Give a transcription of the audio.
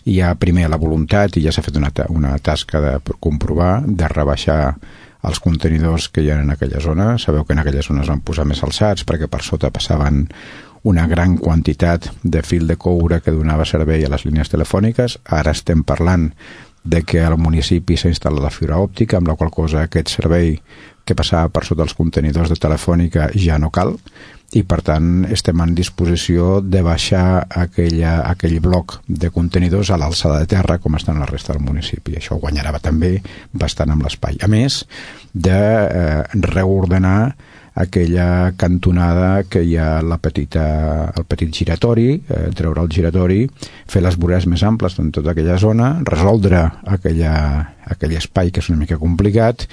hi ha primer la voluntat, i ja s'ha fet una tasca de comprovar, de rebaixar els contenidors que hi ha en aquella zona. Sabeu que en aquelles zones van posar més alçats perquè per sota passaven una gran quantitat de fil de coure que donava servei a les línies telefòniques. Ara estem parlant de que al municipi s'ha instal·lat la fibra òptica, amb la qual cosa aquest servei que passava per sota els contenidors de Telefònica ja no cal, i per tant estem en disposició de baixar aquell bloc de contenidors a l'alçada de terra com estan la resta del municipi. Això guanyarà també bastant amb l'espai, a més de reordenar aquella cantonada que hi ha el petit giratori, treure el giratori, fer les voreres més amples en tota aquella zona, resoldre aquell espai que és una mica complicat,